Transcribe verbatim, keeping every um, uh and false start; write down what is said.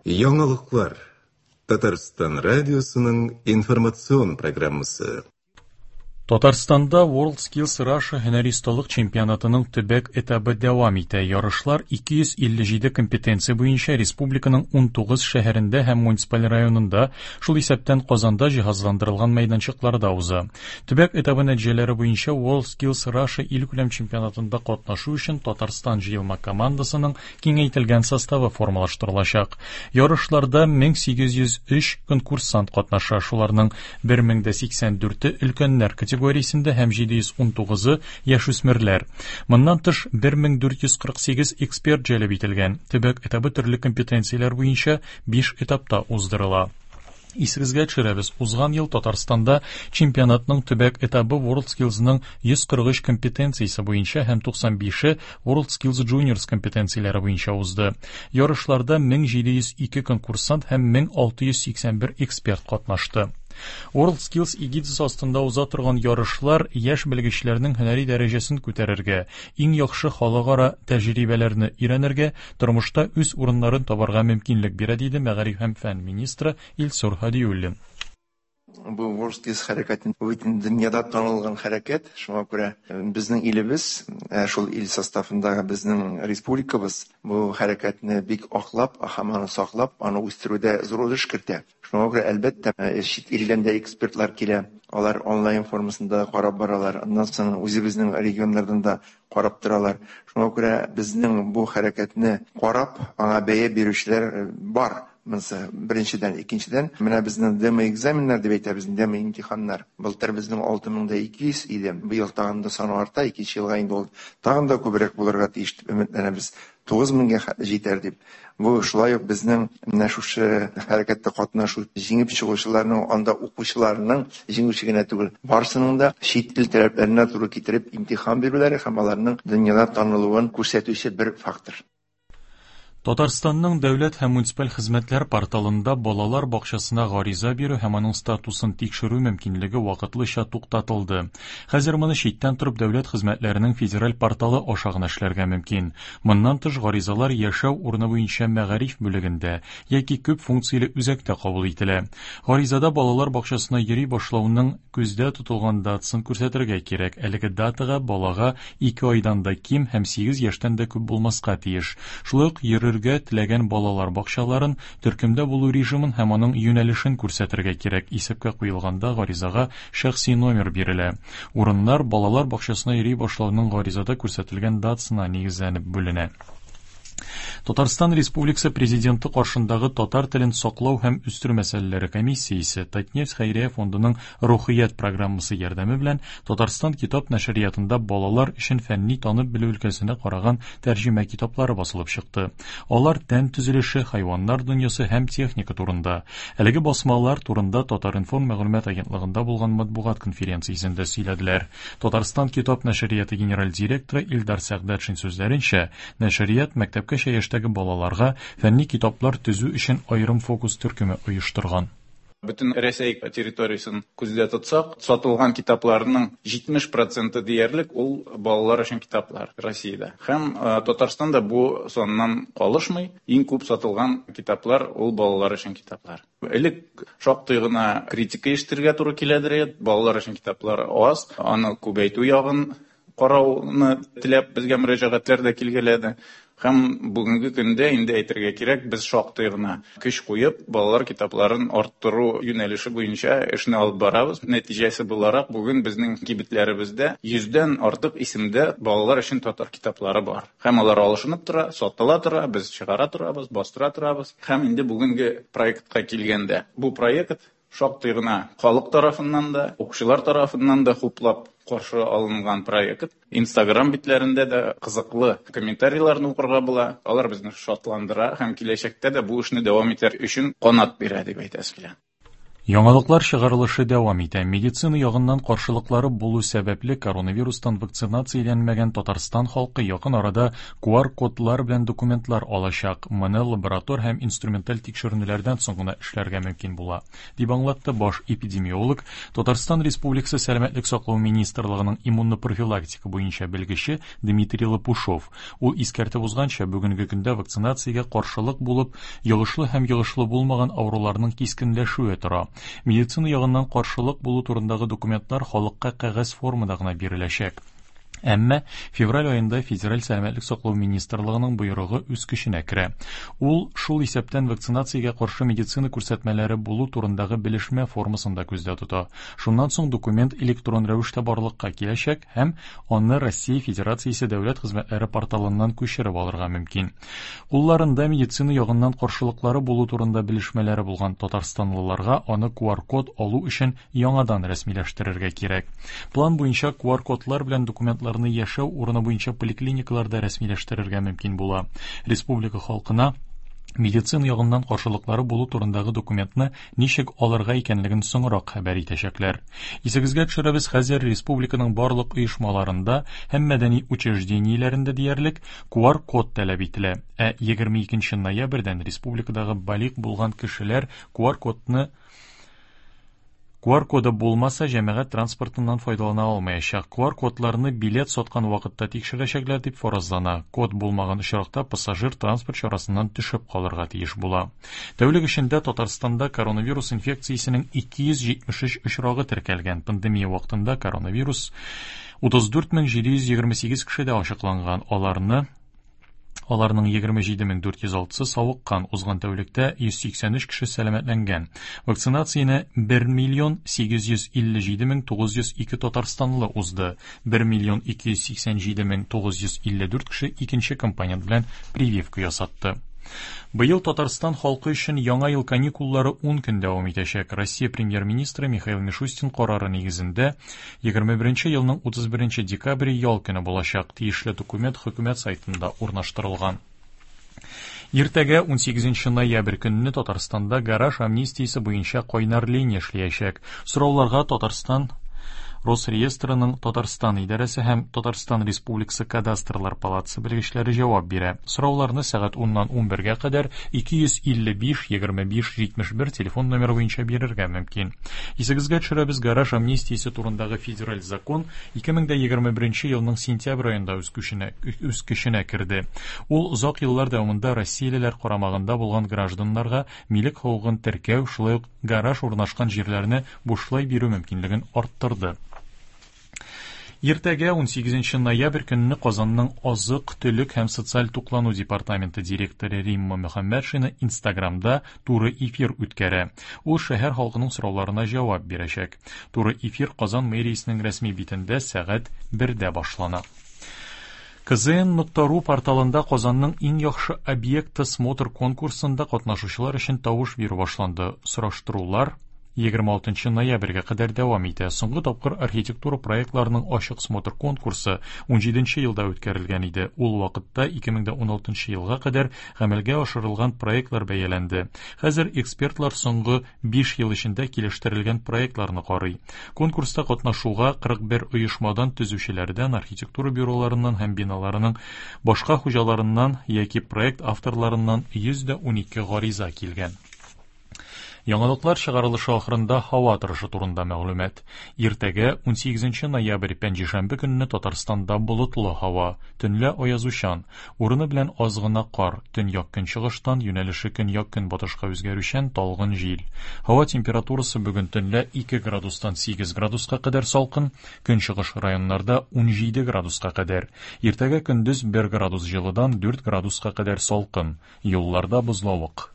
Яңалыклар. Татарстан радиосының информацион программасы. Татарстанда WorldSkills Russia һөнәри осталык чемпионатының төбәк этабы дәвам итә. Ярышлар ике йөз илле җиде компетенция буенча республиканың унтугыз шәһәрендә һәм муниципаль районында, шул исәптән Казанда җиһазландырылган мәйданчыкларда уза. Төбәк этабы нәтиҗәләре буенча WorldSkills Russia илкүләм чемпионатында катнашу өчен Татарстан җыелма командасының киңәйтелгән составы формалаштырылачак. Ярышларда мең сигез йөз өч конкурсант катнаша, шуларның бер мең дә сиксән дүрте өлкәннәр категориясендә һәм җиде йөз унтугызы яшүсмерләр. Моннан тыш бер мең дүрт йөз кырык сигез эксперт җәлеп ителгән. Төбәк этабы төрле компетенцияләр буенча биш этапта уздырыла. Исегезгә төшерәбез, узган ел Татарстанда чемпионатның төбәк этабы WorldSkillsның йөз кырык өч компетенциясе буенча һәм туксан бише WorldSkills Juniors компетенцияләре буенча узды. Ярышларда мең җиде йөз ике конкурсант һәм мең алты йөз сиксән бер эксперт катнашты. WorldSkills эгидасы астында уза торган ярышлар яшь белгечләрнең һөнәри дәрәҗәсен күтәрергә, иң яхшы халыкара тәҗрибәләрне өйрәнергә, тормышта үз урыннарын табарга мөмкинлек бирә, диде мәгариф һәм фән министры Илсур Һадиуллин. Бу WorldSkills хәрәкәте бөтен дөньяда танылган хәрәкәт, шуңа күрә безнең илебез, ә, шул ил составындагы безнең республикабыз бу хәрәкәтне бик аклап, һәм аны саклап, аны үстерүдә зур өлеш кертә. Шуңа күрә, әлбәттә, ә, чит илдән дә экспертлар килә, алар онлайн формасында карап баралар, аннан соң үзебезнең регионнардан да карап торалар. Шуңа күрә безнең бу хәрәкәтне карап, аңа бәя бирүчеләр бар. Монысы беренчедән, икенчедән, менә безнең демо-экзаменнар дип әйтәбез, демо-имтиханнар. Былтыр безнең алты мең дә ике йөз иде, быел тагын да саны арта, икенче елга инде ул тагын да күбрәк булырга тиеш дип өметләнәбез. Тугыз меңгә хәтле җитәр дип. Бу шулай ук безнең менә шушы хәрәкәттә катнашу җиңеп чыгучыларның, анда укучыларның җиңүче генә түгел, барысының да чит ил таләпләренә туры китереп имтихан бирүләре һәм аларның дөньяда танылуын күрсәтүче бер фактор. Татарстанның дәүләт һәм муниципаль хезмәтләр порталында балалар бакчасына гариза бирү һәм аның статусын тикшерү мөмкинлеге вакытлыча туктатылды. Хәзер моны читтән торып дәүләт хезмәтләренең федераль порталы аша гына эшләргә мөмкин. Моннан тыш гаризалар яшәү урыны буенча мәгариф бүлегендә яки күп функцияле үзәктә кабул ителә. Гаризада балалар бакчасына йөри башлауның күздә тотылган датасын күрсәтергә кирәк. Әлеге датага балага ике айдан да ким һәм сигез яшьтән дә күп булмаска тиеш. Шулай ук йөрергә теләгән балалар бакчаларын, төркемдә булу режимын һәм аның юнәлешен күрсәтергә кирәк. Исәпкә куелганда гаризага шәхси номер бирелә. Урыннар балалар бакчасына йөри башлауның гаризада күрсәтелгән датасына нигезләнеп бүленә. Татарстан Республикасы Президенты каршындагы татар телен саклау һәм үстерү мәсьәләләре комиссиясе Татнефть хәйрия фондының Рухият программасы ярдәме белән Татарстан китап нәшриятында балалар өчен фәнни танып белү өлкәсенә караган тәрҗемә китаплары басылып чыкты. Алар тән төзелеше, хайваннар дөньясы һәм техника турында. Әлеге басмалар турында Татар-информ мәгълүмат агентлыгында булган матбугат конференциясендә сөйләделәр. Татарстан китап нәшрияты генераль директоры Илдар Сәгъдәтшин сүзләренчә, нәшрият мәктәпкәчә яшьтәге балаларга фәнни китаплар төзү өчен аерым фокус төркеме оештырган. Бөтен Рәсәй территориясен күздә тотсак, сатылган китапларның җитмеш проценты диярлек ул балалар өчен китаплар Россиядә. Һәм, э, Татарстанда бу саннан калышмый, иң күп сатылган китаплар ул балалар өчен китаплар. Элек шактый гына критика ишетергә туры киләдер, балалар өчен китаплар аз, аны күбәйтү ягын карауны теләп безгә мөрәҗәгатьләр дә килгәләде. Һәм бүгенге көндә инде әйтергә кирәк, без шактый гына көч куеп, балалар китапларын арттыру юнәлеше буенча эшне алып барабыз. Нәтиҗәсе буларак, бүген безнең кибетләребездә йөздән артык исемдә балалар өчен татар китаплары бар. Һәм алар алышынып тора, сатыла тора, без чыгара торабыз, бастыра торабыз. Һәм инде бүгенге проектка килгәндә, бу проект шактый гына халык тарафыннан да, укучылар тарафыннан да хуплап каршы алынган проект. Инстаграм битләрендә дә кызыклы комментарийларны укырга була. Алар безне шатландыра һәм киләчәктә дә бу эшне дәвам итәр өчен канат бирә дип әйтәсе килә. Яңалыклар чыгарылышы дәвам итә. Медицина ягыннан каршылыклары булу сәбәпле коронавирустан вакцинацияләнмәгән Татарстан халкы якын арада Q R кодлар белән документлар алачак. Моны лаборатор һәм инструменталь тикшеренүләрдән соң гына эшләргә мөмкин була, дип аңлатты баш эпидемиолог, Татарстан Республикасы Сәламәтлек саклау министрлыгының иммунопрофилактика буенча белгече Дмитрий Лопушов. Ул искәртеп узганча, бүгенге көндә вакцинациягә каршылык булып, йогышлы һәм йогышлы булмаган авыруларның кискенләшүе тора. Медицина ягыннан каршылык булу турындагы документлар халыкка кәгазь формада гына биреләчәк. Әмма февраль аенда Федераль сәламәтлек саклау министрлыгының боерыгы үз көченә керә. Ул шул исәптән вакцинациягә каршы медицина күрсәтмәләре булу турындагы белешмә формасын да күздә тота. Шуннан соң документ электрон рәвештә барлыкка киләчәк һәм аны Россия Федерациясе дәүләт хезмәтләре порталыннан күчереп алырга мөмкин. Кулларында медицина ягыннан каршылыклары булу турында белешмәләре булган татарстанлыларга аны Q R код алу өчен яңадан рәсмиләштерергә кирәк. План буенча Q R кодлар белән документлар яшәү урыны буенча поликлиникаларда рәсмиләштерергә мөмкин була. Республика халкына медицина ягыннан каршылыклары булу турындагы документны ничек алырга икәнлеген соңрак хәбәр итәчәкләр. Исегезгә төшерәбез, хәзер республиканың барлык оешмаларында һәм мәдәни учреждениеләрендә диярлек Q R код таләп ителә. Ә егерме икенче ноябрьдән республикадагы балигъ булган кешеләр Q R кодны Q R коды булмаса, җәмәгать транспортыннан файдалана алмаячак. Q R кодларны билет саткан вакытта тикшерәчәкләр дип фаразлана. Код булмаган очракта пассажир транспорт чарасыннан төшеп калырга тиеш була. Тәүлек эчендә Татарстанда коронавирус инфекциясенең ике йөз җитмеш өч очрагы теркәлгән. Пандемия вакытында коронавирус утыз дүрт мең җиде йөз егерме сигез кешедә ачыкланган. Аларны Аларның егерме җиде мең дүрт йөз алтысы савыккан. Узган тәүлектә йөз сиксән өч кеше сәламәтләнгән. Вакцинацияне бер миллион сигез йөз илле җиде мең тугыз йөз ике татарстанлы узды. бер миллион ике йөз сиксән җиде мең тугыз йөз илле дүрт кеше икенче компонент белән прививка ясатты. Быел Татарстан халкы өчен яңа ел каникуллары ун көн дәвам итәчәк. Россия премьер-министры Михаил Мишустин карары нигезендә егерме беренче елның утыз беренче декабре ял көне булачак. Тиешле документ хөкүмәт сайтында урнаштырылган. Иртәгә ун сигезенче ноябрь көнне Татарстанда гараж амнистиясе буенча кайнар линия эшләячәк. Сорауларга Татарстан Росреестрының Татарстан идарәсе һәм Татарстан Республикасы Кадастрлар палатасы белгечләре җавап бирә. Сорауларны сәгать уннан унбергә кадәр ике йөз илле биш егерме биш җитмеш бер телефон номеры буенча бирергә мөмкин. Исегезгә төшерәбез, гараж амнистиясе турындагы федераль закон ике мең дә егерме беренче елның сентябрь аенда үз көченә, үз көченә керде. Ул озак еллар дәвамында россиялеләр карамагында булган гражданнарга милек хокукын теркәү, шулай ук гараж урнашкан җирләрне бушлай бирү мөмкинлеген арттырды. Иртәгә ун сигезенче ноябрь көнне Казанның азык-төлек һәм социаль туклану департаменты директоры Римма Мөхәммәтшина Инстаграмда туры эфир үткәрә. Ул шәһәр халкының сорауларына җавап бирәчәк. Туры эфир Казан мэриясенең рәсми битендә сәгать бердә башлана. К З Н нокта ру порталында Казанның иң яхшы объекты смотр конкурсында катнашучылар өчен тавыш бирү башланды. Сораштырулар егерме алтынчы ноябрьгә кадәр дәвам итә. Соңгы тапкыр архитектура проектларының ачык смотр конкурсы ун җиденче елда үткәрелгән иде. Ул вакытта ике мең дә ун алтынчы елга кадәр гамәлгә ашырылган проектлар бәяләнде. Хәзер экспертлар соңгы биш ел эчендә килештерелгән проектларны карый. Конкурста катнашуга кырык бер оешмадан, төзүчеләрдән, архитектура бюроларыннан һәм биналарының башка хуҗаларыннан яки проект авторларыннан йөз дә унике гариза килгән. Яңалыклар чыгарылышы ахырында һава торышы турында мәгълүмат. Иртәгә ун сигезенче ноябрь пәнҗешәмбе көнне Татарстанда болытлы һава, төнлә аязучан, урыны белән аз гына кар, төньяк көнчыгыштан юнәлеше көньяк көнбатышка үзгәрүчән талгын җил. Һава температурасы бүген төнлә ике градустан сигез градуска кадәр салкын, көнчыгыш районнарда ун җиде градуска кадәр. Иртәгә көндез бер градус җылыдан дүрт градуска кадәр салкын, юлларда бозлавык.